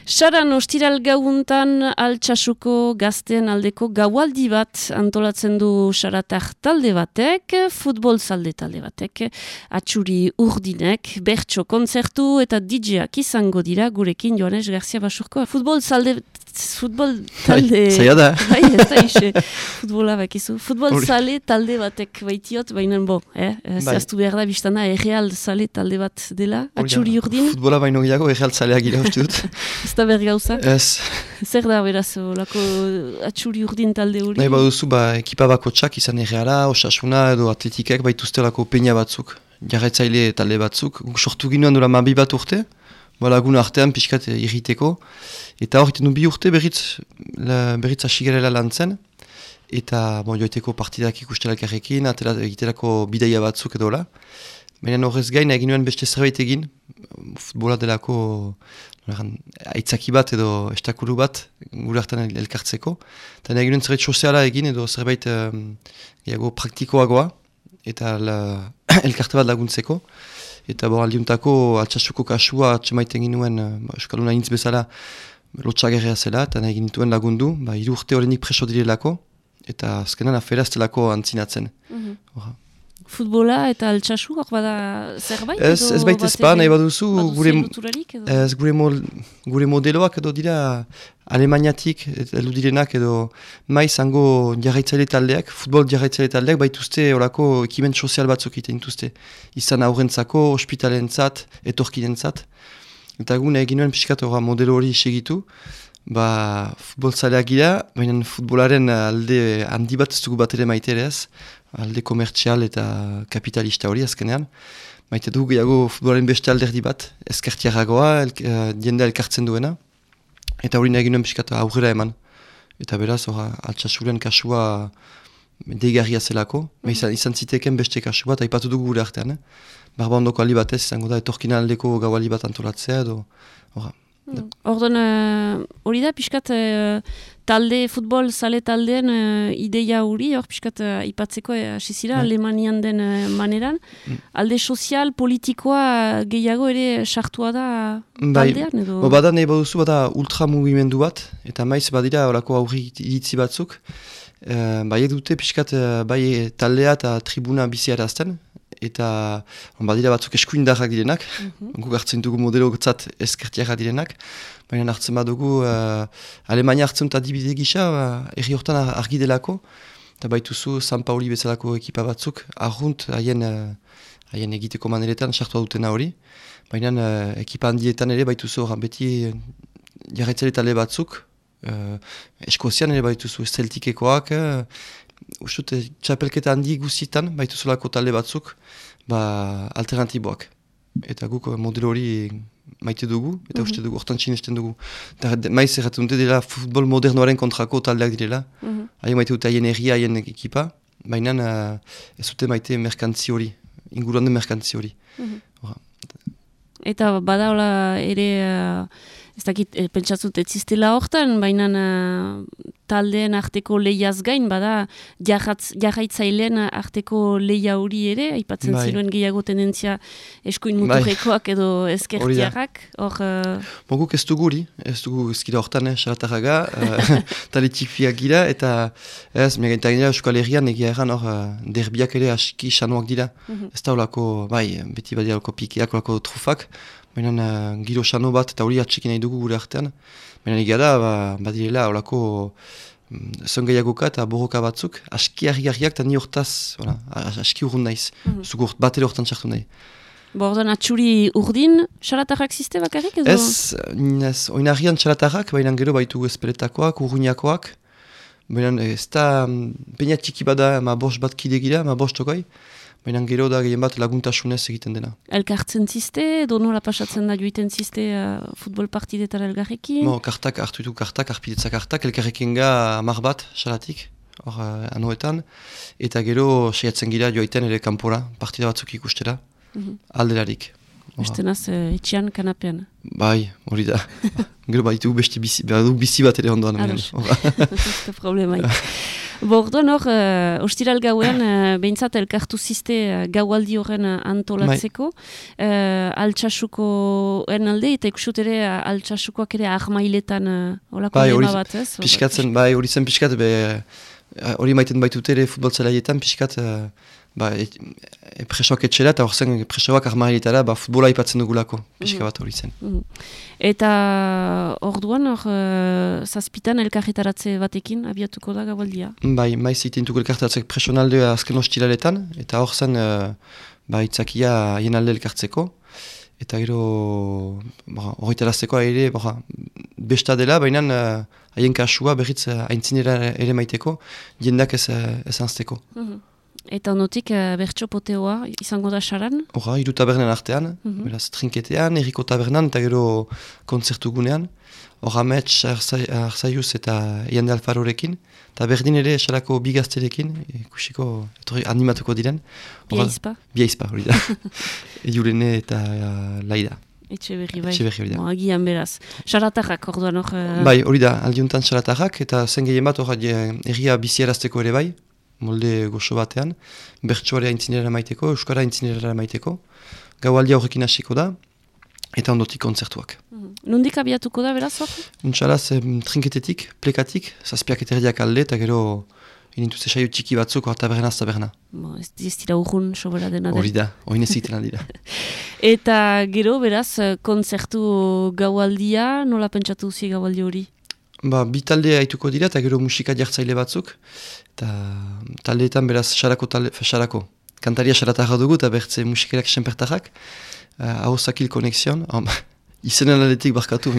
Saran ostiral gauuntan Altsasuko gazteen aldeko gaualdi bat antolatzen du Saratar talde batek, futbol zalde talde batek, atxuri urdinek, bertso kontzertu eta DJ-ak izango dira gurekin Joanes Garcia Basurko. Futbol talde... Zaila da. Bai, ez da ise. Futbola bakizu. Futbol zale talde batek baitiot, baina zehaztu behar da biztana erreal zale talde bat dela, atxuri urdin. Futbola baino gehiago erreal zaleak gira uste dut. Ez da behar gauza? Ez. Zer da beraz, lako atxuri urdin talde hori? Nahi baduzu, ekipa bako txak izan erreala, osasuna edo atletikek baituzte lako peina batzuk, jarraitzaile talde batzuk. Sortu ginoen dura mabi bat urte, lagun artean pixkat irriteko. Eta hor, iten du 2 urte berriz asigarela lan zen. Eta joiteko partidak ikustelak errekin, egiterako bidaia batzuk edo la. Baina horrez gain egin nuen beste zerbait egin, futbola delako aitzaki bat edo estakulu bat gure hartan elkartzeko. Eta egin nuen zerbait soziala egin edo zerbait praktikoagoa eta elkarte bat laguntzeko. Eta aldiuntako Altsasuko kasua atxemaiten ginuen Euskaluna intz bezala lotxagerrea zela, eta nahi ginituen lagundu, 3 urte horrenik preso direlako, eta azkenan afera ez delako antzinatzen. Futbola eta Altsasu, hor bada zerbait? Ez baita ezpa, nahi baduzu, gure modeloak edo dira Alemaniatik heldu direnak edo maiz hango jarraitzaile taldeak, futbol jarraitzaile taldeak baituzte horako ekimen sozial batzuk egiten dituzte. Izan aurrentzako, ospitalentzat, etorkinentzat. Eta gune egin nuen pixkat modelo hori segitu, futbol zaleak gira, baina futbolaren alde handi bat ez dugu bat ere maite ere ez, alde komertzial eta kapitalista hori azkenean. Maite dugu gehiago futbolaren beste alderdi bat, ezkertiarragoa, jendea elkartzen duena. Eta hori nahi nuen pixkat aurrera eman. Eta beraz, Altsasuren kasua deigarria zelako. Izan ziteken beste kasua, eta ipatu dugu gure artean. Barba ondoko aldi batez, izango da, etorkina aldeko gaualdi bat antolatzea edo... Ordon, hori da, pixkat talde, futbol zale taldeen ideia hori, hor pixkat ipatzeko asizira, Alemanian den maneran. Alde sozial, politikoa gehiago ere sartua da taldean? Bada nahi baduzu, bada ultramugimendu bat, eta maiz badira horako aurri iritzi batzuk. Bai dute pixkat bai taldea eta tribuna biziarazten. Eta badira batzuk eskuindarrak direnak, guk hartzen dugu modelo gotzat ezkertiarrak direnak, baina hartzen badugu Alemania hartzen dut adibide gisa, erri hortan argi delako, eta baituzu San Pauli bezalako ekipa batzuk, arrunt haien egiteko maneretan sartua dutena hori, baina ekipa handietan ere baituzu beti jarraitzale talde batzuk, Eskozian ere baituzu Celticekoak, Ustut, txapelketa handi guzitan, baituzulako talde batzuk, alternatiboak. Eta guk modelo hori maite dugu, eta uste dugu, hortan txinesten dugu. Maiz erraten dute dela futbol modernoaren kontrako taldeak direla. Haien maite dute haien erria, haien ekipa, baina ez dute maite merkantzi hori, inguruan den merkantzi hori. Eta badaola ere... Ez dakit, pentsatzut ez ziztela hortan, baina taldeen arteko lehiaz gain, bada jarraitzaileen arteko lehia hori ere, aipatzen ziruen gehiago tendentzia eskuin muturrekoak edo ezkertiarrak. Guk ez dugu ezkira hortan, Saratarraga, taletik fiak gira, eta ez, megaintak dira Euskal Herrian egia erran derbiak ere aski xanoak dira. Ez da olako, beti badia olako pikeak, olako trufak, baina giro xano bat eta hori atxekin nahi dugu gure artean. Baina egia da, badirela olako zongaiagoka eta borroka batzuk, aski harri-harriak eta ni hortaz, aski urrun naiz. Zugu bat ere hortan txartu nahi. Ordan atxuri urdin, Saratarrak ziste bakarrik edo? Ez, oinarrian Saratarrak, baina gero baitu espeletakoak, urruñakoak. Baina ez da, peina txiki bada, bost bat kide gira, bost tokoi. Baina gero da gehien bat laguntasunez egiten dena. Elkartzen ziste, edo nola pasatzen da joiten ziste futbol partidetara elgarrekin? Kartak, hartu ditu kartak, arpidetzak kartak, elkarrekin ga 10 bat, Saratik, hor anuetan. Eta gero saiatzen gira joiten ere kanpora, partida batzuk ikustera, alderarik. Estenaz, etxean kanapean. Bai, hori da. Gero baditu beste bizi bat ere ondoan. Ados, ez problemaik. Orduan hor, ostiral gauean, behintzat elkartu ziste gaualdi horren antolatzeko. Altsasukoen alde, eta ikusut ere altsasukoak ere ahmailetan olako dema bat, ez? Piskatzen, bai, hori zen piskat, hori maiten baitut ere futbolzelaietan, piskat, presoak etxera, eta hor zen presoak ahmailetara, futbola ipatzen dugulako, piska bat hori zen. Eta orduan, zazpitan elkarretaratze batekin abiatuko da gaualdia? Bai, maiz itentuko elkarretaratze presonalde azken ostiraletan, eta hor zen itzakia haien alde elkartzeko, eta gero horretarazteko ere besta dela, baina haien kasua berriz aintzinera ere maiteko, jendak ez anzteko. Eta ondotik bertso poteoa izango da saran? Hora, 3 tabernen artean, beraz trinketean, erriko tabernan, eta gero kontzertu gunean. Hora, Mets, Arzaiuz eta Iande Alfarorekin, eta berdin ere esalako bigazterekin, ikusiko animatuko diren. Biaizpa? Biaizpa, hori da. Jurene eta Laida. Etxe berri bai. Agian beraz. Xaratarrak orduan hor? Bai, hori da, aldiuntan xaratarrak, eta zen gehien bat erria biziarazteko ere bai, molde goxo batean, bertsoare aintzinera maiteko, euskara aintzinera maiteko, gaualdia horrekin hasiko da, eta ondotik kontzertuak. Nondik abiatuko da, beraz hor? Untxalaz, trinketetik, plekatik, zazpiak eta erdiak alde, eta gero inintuz esaio txiki batzuk, taberna. Ez dira urrun sobera dena den. Hori da, hori neziten aldira. Eta gero, beraz, kontzertu gaualdia, nola pentsatu duzi gaualdi hori? Bi talde haituko dira, eta gero musika jartzaile batzuk, eta taldeetan beraz sarako. Kantaria saratarra dugu, eta bertze musikerak senpertarrak, Ahosakil Konexion, izenen aldetik barkatu,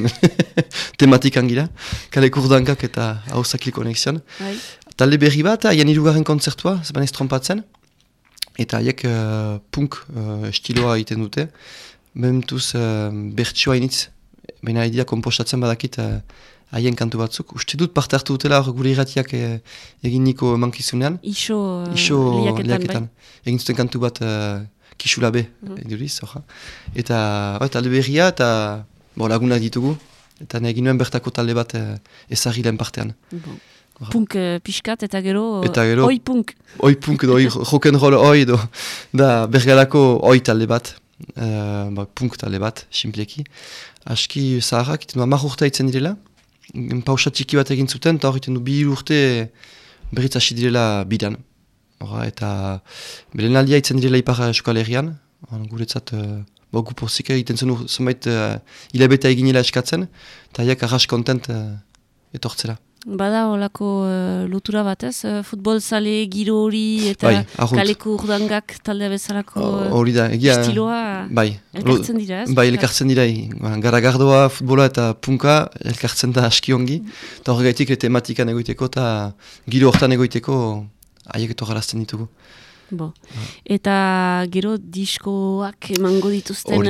tematikan gira, Kaleko Urdankak eta Ahosakil Konexion. Talde berri bat, haien 3. kontzertua, zeban ez trompatzen, eta haiek punk estiloa egiten dute, mementuz bertsioa initz, baina idea kompostatzen badakit, haien kantu batzuk. Uste dut parte hartu dutela gure irratiak egin niko mankizunean. Iso liaketan. Egin zuten kantu bat kisulabe, eduriz. Eta talde berria eta lagunak ditugu. Eta egin nuen bertako talde bat ezagri lehen partean. Punk pixkat eta gero oi punk. Oi punk, rock'n'roll oi edo. Da bergalako oi talde bat. Punk talde bat, simpleki. Aski zaharrak, iten 10 urte itzen direla. Pausa txiki bat egin zuten, eta horretan du 2 urte berriz hasi direla bidan. Eta beren aldia itzen direla ipar Euskal Herrian, guretzat gupozik egiten zen zenbait hilabeta eginela eskatzen, eta haiek arras kontent etortzera. Bada olako lotura batez, futbol zale, giro hori eta Kaleko Urdangak talde bezalako estiloa elkartzen dira, ez? Bai, elkartzen dira, garagardoa, futbola eta punka elkartzen da aski ongi, eta horregaitik tematikan egoiteko eta giro hortan egoiteko haiek etorrarazten ditugu. Eta gero diskoak emango dituzten...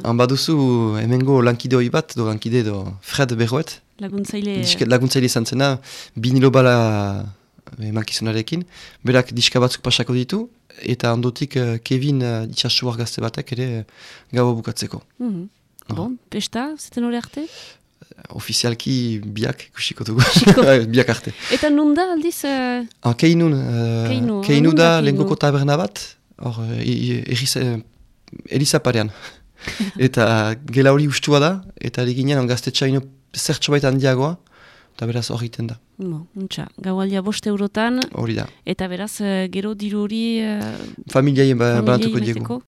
Han baduzu hemengo lankidoi bat, lankide Fred Berroet, laguntzaile izan zena, binilo bala emankizunarekin, berak diska batzuk pasako ditu, eta ondotik Kevin itxasuar gazte batek ere gaua bukatzeko. Pesta, zeten hori arte? Ofizialki biak ikusiko dugu, biak arte. Eta nun da aldiz? Keinu da lehengoko taberna bat, Elizaparean. Eta gela hori ustua da, eta eginen gaztetxaino zertxo baita handiagoa, eta beraz hori iten da. Gaualdia 5 eurotan, hori da. Eta beraz gero diru hori... Familiaien banatuko diegu.